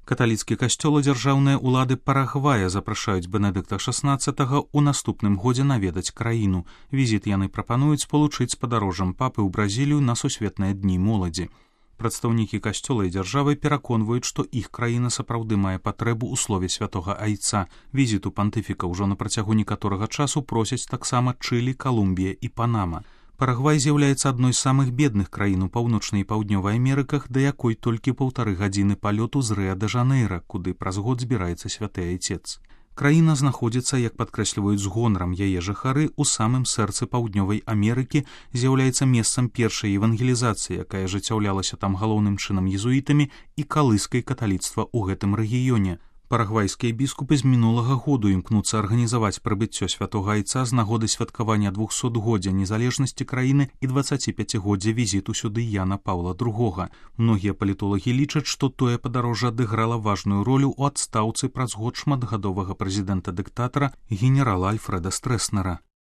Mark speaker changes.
Speaker 1: Каталіцкі касцёл і дзяржаўныя ўлады Парагвая запрашаюць Бенедыкта XVI ў наступным годзе наведаць краіну. Візіт яны прапануюць спалучыць з падарожжам папы ў Бразілію на сусветныя дні моладзі. Прадстаўнікі касцёла і дзяржавы пераконваюць, што іх краіна сапраўды мае патрэбу ў слове святога айца. Візіту пантыфіка ўжо на працягу некаторага часу просяць таксама Чылі, Калумбія і Панама. Парагвай з'яўляецца адной з самых бедных краін у паўночнай і паўднёвай Амерыках, да якой толькі 1,5 гадзіны палёту з Рыа-дэ-Жанэйра, куды праз год збіраецца святы айцец. Краіна знаходзіцца, як падкрэсліваюць з гонарам яе жыхары, у самым сэрцы паўднёвай Амерыкі, з'яўляецца месцам першай евангелізацыі, якая ажыццяўлялася там галоўным чынам езуітамі і калыскай каталіцтва ў гэтым рэгіёне. Парагвайскія біскупы з мінулага году імкнуцца арганізаваць прыбыццё святога айца з нагоды святкавання 200-годдзя незалежнасці краіны і 25-годдзя візіту сюды Яна Паўла II. Многія палітолагі лічаць, што тое падарожжа адыграла важную ролю ў адстаўцы праз год шматгадовага прэзідэнта-дыктатара генерала Альфрэда Стрэснера.